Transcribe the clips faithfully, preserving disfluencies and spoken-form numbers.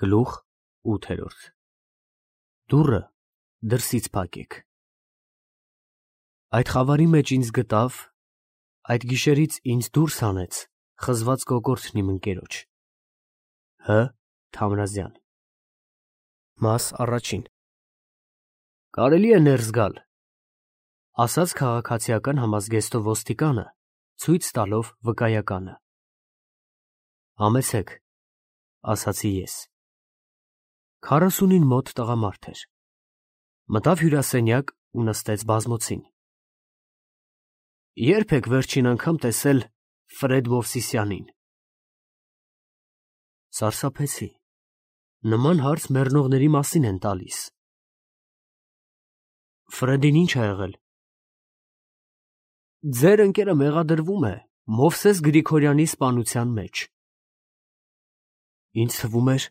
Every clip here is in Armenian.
Գլուխ ութերորդ Դուռը դրսից փակեք։ Այդ խավարի մեջ ինձ գտավ, այդ գիշերից ինձ դուրս հանեց խզված կոկորդն իմ ընկերոջ։ Հ. Թամրազյան Մաս առաջին Կարելի է ներս գալ, ասաց քաղաքացիական համազգեստով ոստիկանը, ցույց տալով վկայականը։ Համեցեք, ասացի ես։ Քառասունին մոտ տղամարդ էր։ Մտավ հյուրասենյակ ու նստեց բազմոցին։ Ե՞րբ եք վերջին անգամ տեսել Ֆրեդ Մովսիսյանին։ Սարսափեցի։ Նման հարց մեռնողների մասին են տալիս։ Ֆրեդին ի՞նչ ա եղել։ Ձեր ընկերը մեղադրվում է Մովսես Գրիգորյանի սպանության մեջ։ Ինձ թվում էր,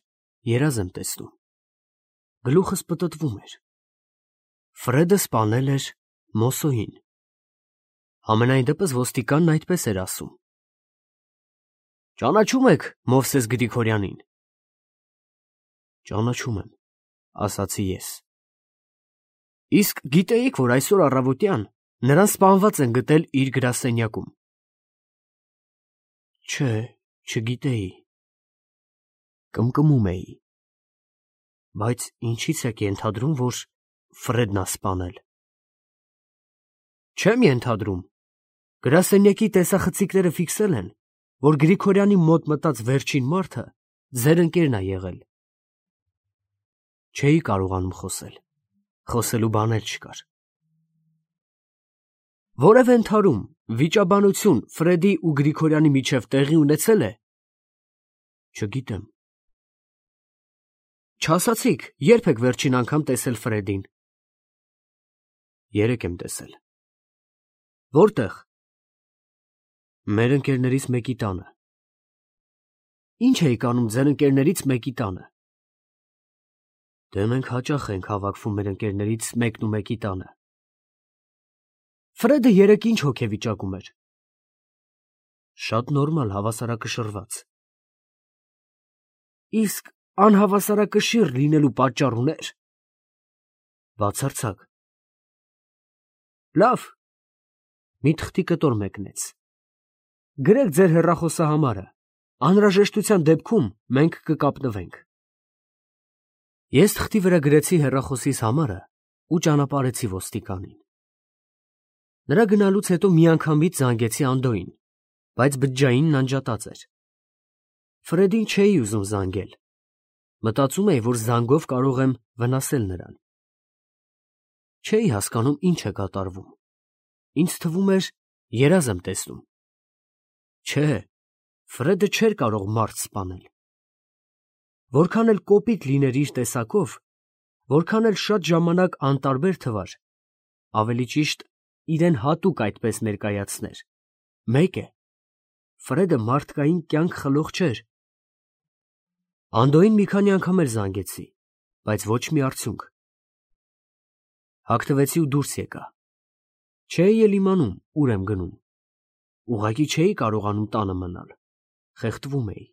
երազ եմ տեսնում։ Գլուխս պտտվում էր։ Ֆրեդը սպանել էր Մոսոին։ Համենայն դեպս ոստիկանն այդպես էր ասում։ Ճանաչում եք Մովսես Գրիգորյանին։ Ճանաչում եմ, ասացի ես։ Իսկ գիտեիք, որ այսօր առավոտյան նրան սպանված են գտել իր գրասենյակում։ Չէ, չգիտեի։ Կմկմում էի։ Բայց ինչի՞ց եք ենթադրում, որ Ֆրեդն ա սպանել։ Չեմ ենթադրում։ Գրասենյակի տեսախցիկները ֆիքսել են, որ Գրիգորյանի մոտ մտած վերջին մարդը ձեր ընկերն ա եղել։ Չէի կարողանում խոսել։ Խոսելու բան էլ չկար։ Որևէ ընդհարում, վիճաբանություն Ֆրեդի ու Գրիգորյանի միջև տեղի ունեցել է։ Չգիտեմ։ Չասացիք, երբ եք վերջին անգամ տեսել Ֆրեդին։ Երեկ եմ տեսել։ Որտեղ։ Մեր ընկերներից մեկի տանը։ Ինչ էիք անում ձեր ընկերներից մեկի տանը։ Դե մենք հաճախ ենք հավաքվում մեր ընկերներից մեկն ու մեկի տանը։ Ֆրեդը երեկ ինչ հոգեվիճակում էր։ Շատ նորմալ, հավասարակշռված։ Իսկ անհավասարակշիռ լինելու պատճառ ուներ։ Բացարձակ։ Լավ։ Մի թղթի կտոր մեկնեց։ Գրեք ձեր հեռախոսահամարը, անհրաժեշտության դեպքում մենք կկապնվենք։ Ես թղթի վրա գրեցի հեռախոսիս համարը ու ճանապարհեցի ոստիկանին։ Նրա գնալուց հետո միանգամից զանգեցի Անդոյին, բայց բջջայինն անջատած էր։ Ֆրեդին չէի ուզում զանգել։ Մտածում էի, որ զանգով կարող եմ վնասել նրան։ Չէի հասկանում ինչ է կատարվում։ Ինձ թվում էր, երազ եմ տեսնում։ Չէ, Ֆրեդը չէր կարող մարդ սպանել։ Որքան էլ կոպիտ լիներ իր տեսակով, որքան էլ շատ ժամանակ անտարբեր թվար, ավելի ճիշտ իրեն հատուկ այդպես ներկայացներ, մեկ է, Ֆրեդը մարդկային կյանք խլող չէր։ Անդոյին մի քանի անգամ էլ զանգեցի, բայց ոչ մի արդյունք։ Հագնվեցի ու դուրս եկա։ Չէի էլ իմանում, ուր եմ գնում։ Ուղղակի չէի կարողանում տանը մնալ, խեղդվում էի։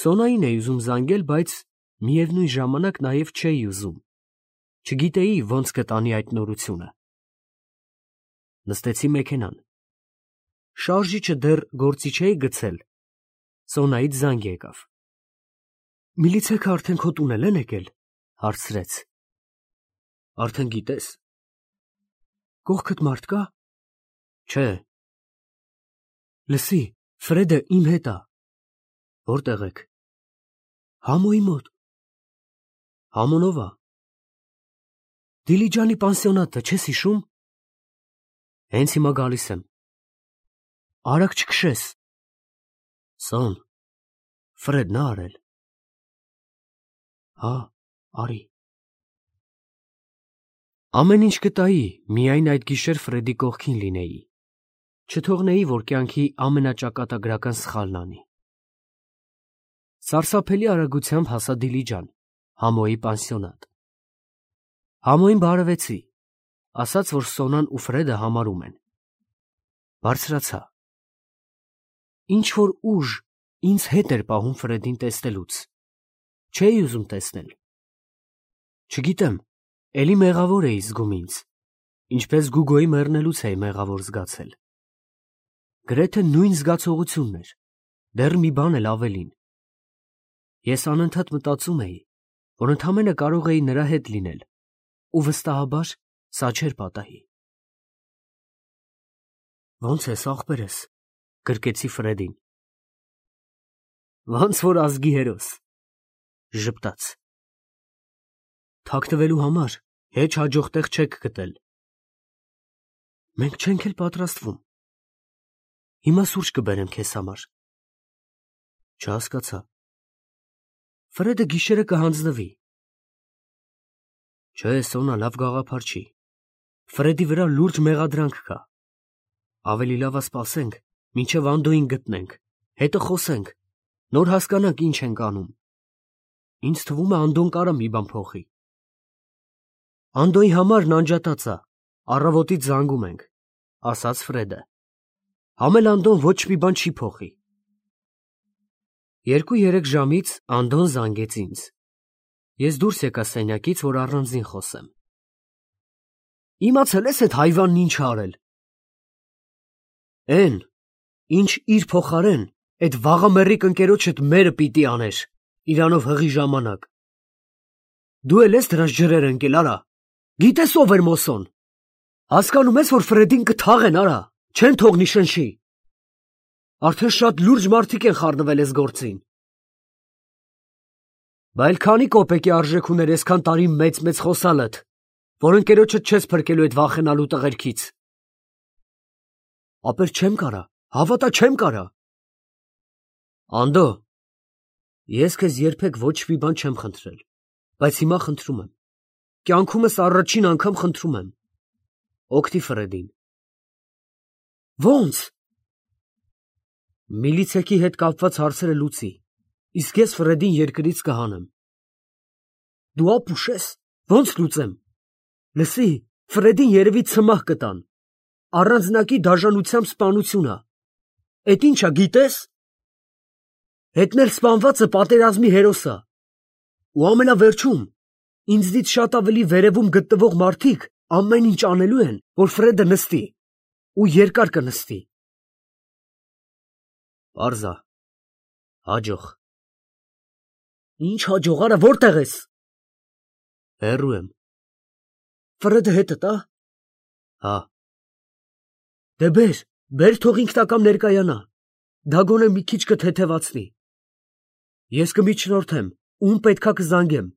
Սոնային էի ուզում զանգել, բայց միևնույն ժամանակ նաև չէի ուզում։ Չգիտեի ոնց կտանի այդ նորությունը։ Նստեցի մեքենան։ Շարժիչը դեռ գործի չէի գցել։ Սոնայից զանգ եկավ։ Միլիցեքը արդեն քո տուն են եկել, հարցրեց։ Արդեն գիտես։ Կողքդ մարդ կա։ Չէ։ Լսի, Ֆրեդը իմ հետ ա։ Որտեղ եք։ Համոյի մոտ։ Համոնով ա։ Դիլիջանի պանսիոնատը չես հիշում։ Հենց հիմա գալիս եմ։ Արագ չքշես։ Սոն, Ֆրեդն ա արել։ Հա, արի։ Ամեն ինչ կտայի, միայն այդ գիշեր Ֆրեդի կողքին լինեի։ Չթողնեի, որ կյանքի ամենաճակատագրական սխալն անի։ Սարսափելի արագությամբ հասա Դիլիջան, Համոյի պանսիոնատ։ Համոյին բարևեցի, ասաց, որ Սոնան ու Ֆրեդը համարում են։ Բարձրացա։ Ինչ որ ուժ ինձ հետ էր պահում Ֆրեդին տեսնելուց։ չէի ուզում տեսնել։ Չգիտեմ, էլի մեղավոր էի զգում ինձ, ինչպես Գուգոյի մեռնելուց էի մեղավոր զգացել։ Գրեթե նույն զգացողությունն էր, դեռ մի բան էլ ավելին։ Ես անընդհատ մտածում էի, որ ընդամենը կարող էի նրա հետ լինել, ու վստահաբար սա չէր պատահի։ Ո՞նց ես, ախպերս, գրկեցի Ֆրեդին։ Ոնց որ ազգի հերոս, ժպտաց։ Թաքնվելու համար հեչ հաջող տեղ չեք գտել։ Մենք չենք էլ պատրաստվում։ Հիմա սուրճ կբերեմ քեզ համար։ Չհասկացա։ Ֆրեդը գիշերը կհանձնվի։ Չէ, Սոնա լավ գաղափար չի։ Ֆրեդի վրա լուրջ մեղադրանք կա։ Ավելի լավ է սպասենք, մինչև Անդոյին գտնենք, հետը խոսենք, նոր հասկանանք ինչ ենք անում։ Ինձ թվում է Անդոն կարա մի բան փոխի։ Անդոյի համարն անջատած է, առավոտից զանգում ենք, ասաց Ֆրեդը։ Համել Անդոն ոչ մի բան չի փոխի։ Երկու-երեք ժամից Անդոն զանգեց ինձ։ Ես դուրս եկա սենյակից, որ առանձին խոսեմ։ Իմացել ես այդ հայվանն ինչ արել։ Էն, ինչ իր փոխարեն, այդ վաղամեռիկ ընկերոջդ մերը պիտի աներ, իրանով հղի ժամանակ։ Դու էլ ես դրանց ջրերը ընկել, արա։ Գիտես ով էր Մոսոն։ Հասկանում ես, որ Ֆրեդին կթաղեն, արա, չեն թողնի շնչի։ Արդեն շատ լուրջ մարդիկ են խառնվել այս գործին։ Բայց քանի կոպեկի արժեք ուներ այսքան տարի մեծ-մեծ խոսալդ, որ ընկերոջդ չես փրկելու այդ վախենալու տղերքից։ Ապեր չեմ կարա, հավատա չեմ կարա։ Անդո, ես քեզ երբեք ոչ մի բան չեմ խնդրել, բայց հիմա խնդրում եմ։ Կյանքումս առաջին անգամ խնդրում եմ։ Օգտի Ֆրեդին։ Ո՞նց։ Միլիցեքի հետ կապված հարցերը լուծի, իսկ ես Ֆրեդին երկրից կհանեմ։ Դու ապուշ ես, ո՞նց լուծեմ։ Լսի, Ֆրեդին երևի ցմահ կտան։ Առանձնակի դաժանությամբ սպանությունա։ Էդ ինչա, գիտես։ Հետնել սպանվածը պատերազմի հերոսա։ Ու ամենավերջում, ինձնից շատ ավելի վերևում գտնվող մարդիկ ամեն ինչ անելու են, որ Ֆրեդը նստի, ու երկար կնստի։ Պարզա, հաջող։ Ինչ հաջող, արա, որտեղ ես։ Հեռու եմ։ Ֆրեդը հետդ, ա։ Հա։ Դե բեր, բեր թող ինքնակամ ներկայանա, դա գոնե մի քիչ կթեթևացնի։ Ես կմիջնորդեմ, ում պետքա կզանգեմ,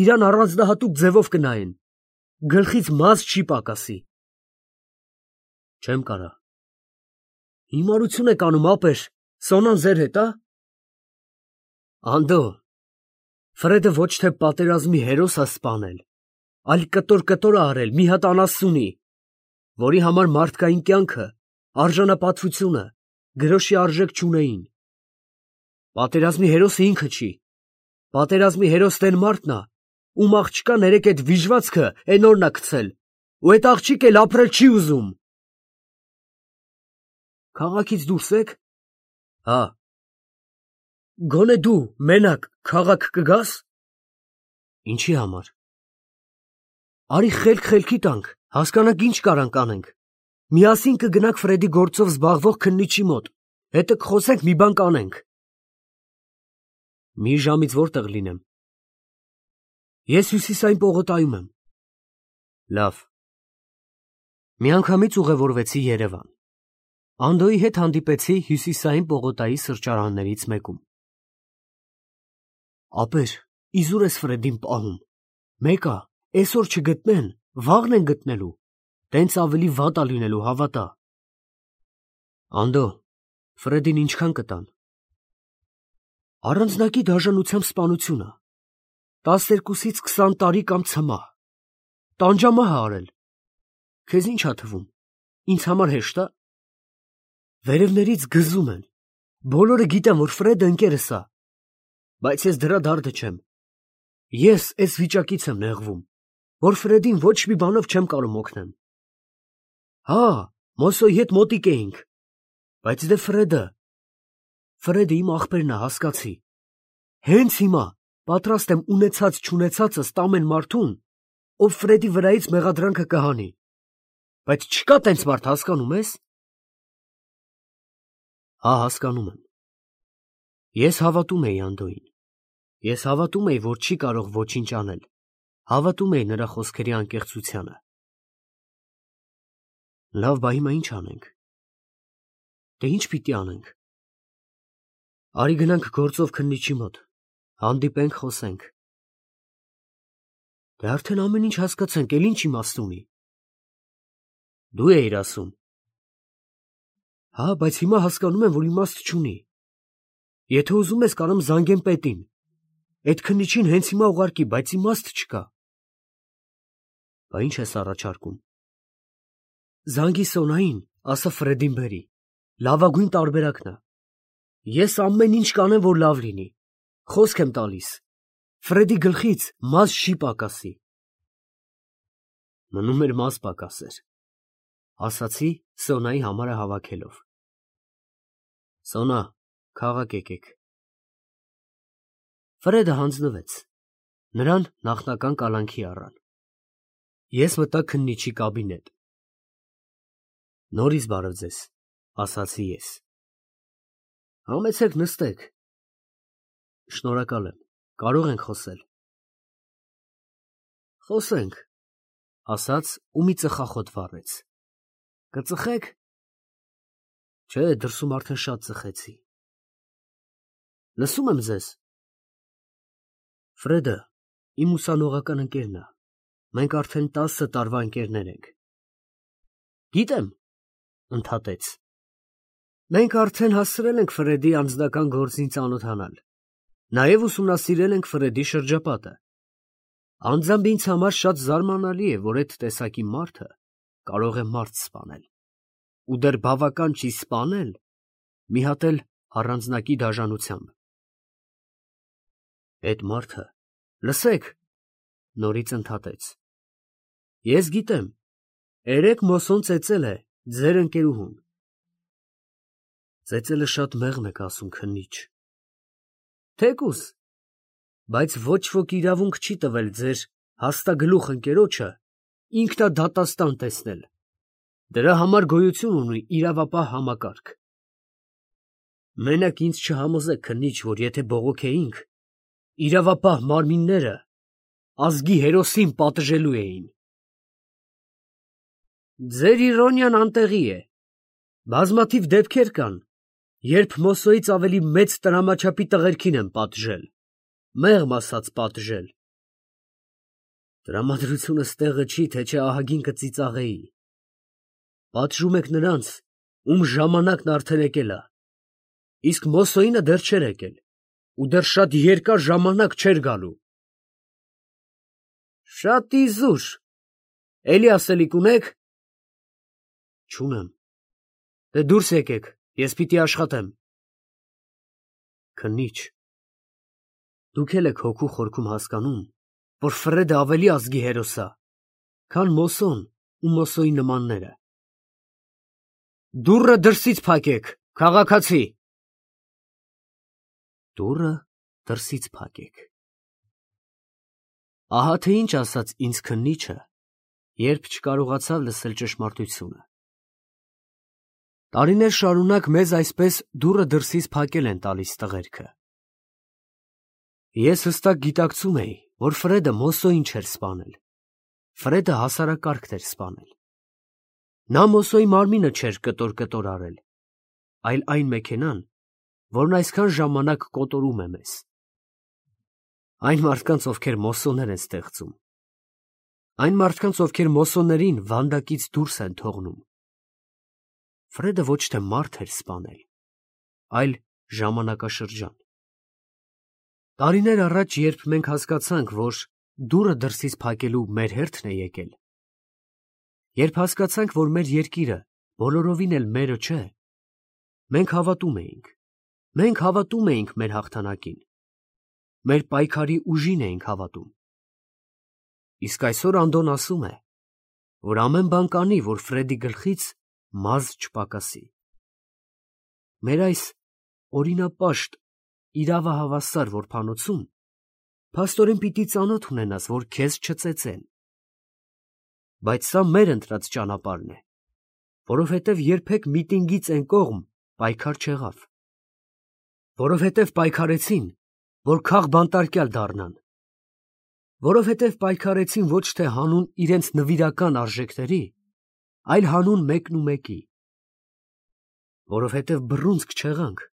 իրան առանձնահատուկ ձևով կնայեն, գլխից մազ չի պակասի։ Չեմ կարա։ Հիմարություն եք անում, ապեր, Սոնան ձեր հետ, ա։ Անդո, Ֆրեդը ոչ թե պատերազմի հերոս է սպանել, այլ կտոր-կտոր է արել մի հատ անասունի, որի համար մարդկային կյանքը, արժանապատվությունը, գրոշի արժեք չունեին։ Պատերազմի հերոսը ինքը չի։ Պատերազմի հերոսն են մարդն է, ում աղջկան երեք այդ վիժվածքը էն օրն է գցել, ու այդ աղջիկ էլ ապրել չի ուզում։ Քաղաքից դուրս եք։ Հա։ Գոնե դու մենակ քաղաք կգաս։ Ինչի համար։ Արի խելք խելքի տանք, հասկանանք ինչ կարանք անենք։ Միասին կգնանք Ֆրեդի գործով զբաղվող քննիչի մոտ, հետը կխոսենք մի բան կանենք։ Մի ժամից որտեղ լինեմ։ Ես հյուսիսային պողոտայում եմ։ Լավ։ Միանգամից ուղևորվեցի Երևան։ Անդոյի հետ հանդիպեցի հյուսիսային պողոտայի սրճարաններից մեկում։ Ապեր, իզուր ես Ֆրեդին պահում։ Մեկա, այսօր չգտնեն, վաղն են գտնելու, տենց ավելի վատ է լինելու, հավատա։ Անդո, Ֆրեդին ինչքան կտան։ Առանձնակի դաժանությամբ սպանությունը, տասներկուսից քսան տարի կամ ցմահ, տանջամահ է արել, քեզ ինչ ա թվում, ինձ համար հեշտ է։ Վերևներից գզում են, բոլորը գիտեն, որ Ֆրեդը ընկերս է, բայց ես դրա դարդը չեմ, ես այս վիճակից եմ նեղվում, որ Ֆրեդին ոչ մի բանով չեմ կարող օգնեմ։ Հա, Մոսոյի հետ մոտիկ էինք, բայց դե Ֆրեդը, Ֆրեդը իմ ախպերն է, հասկացի, հենց հիմա, պատրաստ եմ ունեցած չունեցածս տամ են մարդուն, ով Ֆրեդի վրայից մեղադրանքը կհանի, բայց չկա տենց մարդ, հասկանում ես։ Հա, հասկանում եմ։ Ես հավատում էի Անդոյին։ Ես հավատում էի, որ չի կարող ոչինչ անել, հավատում էի նրա խոսքերի անկեղծությանը։ Լավ, բա հիմա ինչ անենք։ Դե ինչ պիտի անենք։ Արի գնանք գործով քննիչի մոտ, հանդիպենք, խոսենք։ Դե արդեն ամեն ինչ հասկացանք, էլ ինչ իմաստ ունի։ Դու էիր ասում։ Հա, բայց հիմա հասկանում եմ, որ իմաստ չունի։ Եթե ուզում ես, կարամ զանգեմ պետին։ Այդ քննիչին հենց հիմա ուղարկի, բայց իմաստ չկա։ Բա ինչ ես առաջարկում։ Զանգի Սոնային, ասա Ֆրեդին բերի։ Լավագույն տարբերակն է։ Ես ամեն ինչ կանեմ, որ լավ լինի։ Խոսք եմ տալիս։ Ֆրեդի գլխից մազ չի պակասի։ Մնում էր մազ պակասեր, ասացի Սոնայի համարը հավաքելով։ Սոնա, քաղաք եկեք։ Ֆրեդը հանձնվեց։ Նրան նախնական կալանքի առան։ Ես մտա քննիչի կաբինետ։ Նորից բարև ձեզ, ասացի ես։ Համեցեք նստեք։ Շնորհակալ եմ, կարող ենք խոսել։ Խոսենք, ասաց ու մի ծխախոտ վառեց։ Կծխեք։ Չէ, դրսում արդեն շատ ծխեցի։ Լսում եմ ձեզ։ Ֆրեդը իմ ուսանողական ընկերն է։ Մենք արդեն տասը տարվա ընկերներ ենք։ Գիտեմ, ընդհատեց։ Մենք արդեն հասցրել ենք Ֆրեդի անձնական գործին ծանոթանալ։ Նաև ուսումնասիրել ենք Ֆրեդի շրջապատը։ Անձամբ ինձ համար շատ զարմանալի է, որ այդ տեսակի մարդը կարող է մարդ սպանել։ Ու դեռ բավական չի սպանել, մի հատ էլ առանձնակի դաժանությամբ։ Այդ մարդը, լսեք, նորից ընդհատեց։ Ես գիտեմ, երեք Մոսոն ծեծել է ձեր ընկերուհուն։ Ծեծելը շատ մեղմ եք ասում, քննիչ։ Թեկուս, բայց ոչ ոք իրավունք չի տվել ձեր հաստագլուխ ընկերոջը ինքնադատաստան տեսնել։ Դրա համար գոյություն ունի իրավապահ համակարգ։ Մենակ ինձ չհամոզեք, քննիչ, որ եթե բողոքեինք, իրավապահ մարմինները ազգի հերոսին պատժելու էին։ Ձեր իրոնիան անտեղի է։ Բազմաթիվ դեպքեր կան, երբ Մոսոյից ավելի մեծ տրամաչափի տղերքին են պատժել, մեղմ ասած պատժել։ Տրամադրությունս տեղը չի, թե չէ ահագին կծիծաղեի։ Պատժում եք նրանց, ում ժամանակն արդեն եկել է, իսկ Մոսոյինը դեռ չէր եկել, ու դեռ շատ երկար ժամանակ չէր գալու։ Շատ իզուր, էլի ասելիք ունեք։ Չունեմ։ Դե դուրս եկեք, ես պիտի աշխատեմ։ Քննիչ, դուք էլ եք հոգու խորքում հասկանում, որ Ֆրեդը ավելի ազգի հերոս է, քան Մոսոն ու Մոսոյի նմանները։ Դուռը դրսից փակեք, քաղաքացի։ Դուռը դրսից փակեք։ Ահա թե ինչ ասաց ինձ քննիչը, երբ չկարողացավ լսել ճշմարտությունը։ Տարիներ շարունակ մեզ այսպես դուռը դրսից փակել են տալիս տղերքը։ Ես հստակ գիտակցում էի, որ Ֆրեդը Մոսոյին չէր սպանել։ Ֆրեդը հասարակարգ էր սպանել։ Նա Մոսոյի մարմինը չէր կտոր-կտոր արել, այլ այն մեքենան, որն այսքան ժամանակ կոտորում է մեզ։ Այն մարդկանց, ովքեր Մոսոներ են ստեղծում։ Այն մարդկանց, ովքեր Մոսոներին վանդակից դուրս են թողնում։ Ֆրեդը ոչ թե մարդ էր սպանել, այլ ժամանակաշրջան։ Տարիներ առաջ, երբ մենք հասկացանք, որ դուռը դրսից փակելու մեր հերթն է եկել, երբ հասկացանք, որ մեր երկիրը բոլորովին էլ մերը չէ, մենք հավատում էինք, մենք հավատում էինք մեր հաղթանակին, մեր պայքարի ուժին էինք հավատում։ Իսկ այսօր Անդոն ասում է, որ ամեն բան կանի, որ Ֆրեդի գլխից մազ չպակասի։ Մեր այս օրինապաշտ իրավահավասար որբանոցում Փաստորեն պիտի ծանոթ ունենաս, որ քեզ չծեծեն։ Բայց սա մեր ընտրած ճանապարհն է, որովհետև երբեք միտինգից այն կողմ պայքար չեղավ, որովհետև պայքարեցին, որ քաղբանտարկյալ դառնան, որովհետև պայքարեցին ոչ թե հանուն իրենց նվիրական արժեքների, այլ հանուն մեկն ու մեկի, որովհետև բռունցք չեղանք,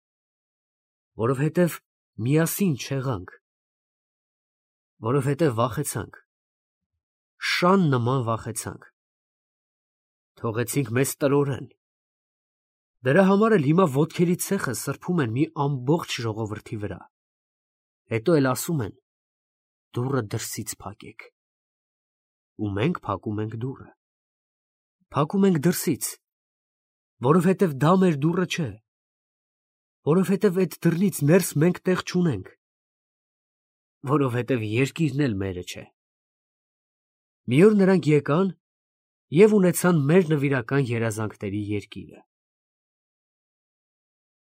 որովհետև միասին չեղանք, որովհետև վախեցանք, շան նման վախեցանք, թողեցինք մեզ տրորեն։ Դրա համար էլ հիմա ոտքերի ցեխը սրբում են մի ամբողջ ժողովրդի վրա, հետո էլ ասում են. դուռը դրսից փակեք։ Ու մենք փակում ենք դուռը, փակում ենք դրսից, որովհետև դա մեր դուռը չէ, որովհետև այդ դռնից ներս մենք տեղ չունենք, որովհետև երկիրն էլ մերը չէ։ Մի օր նրանք եկան և ունեցան մեր նվիրական երազանքների երկիրը։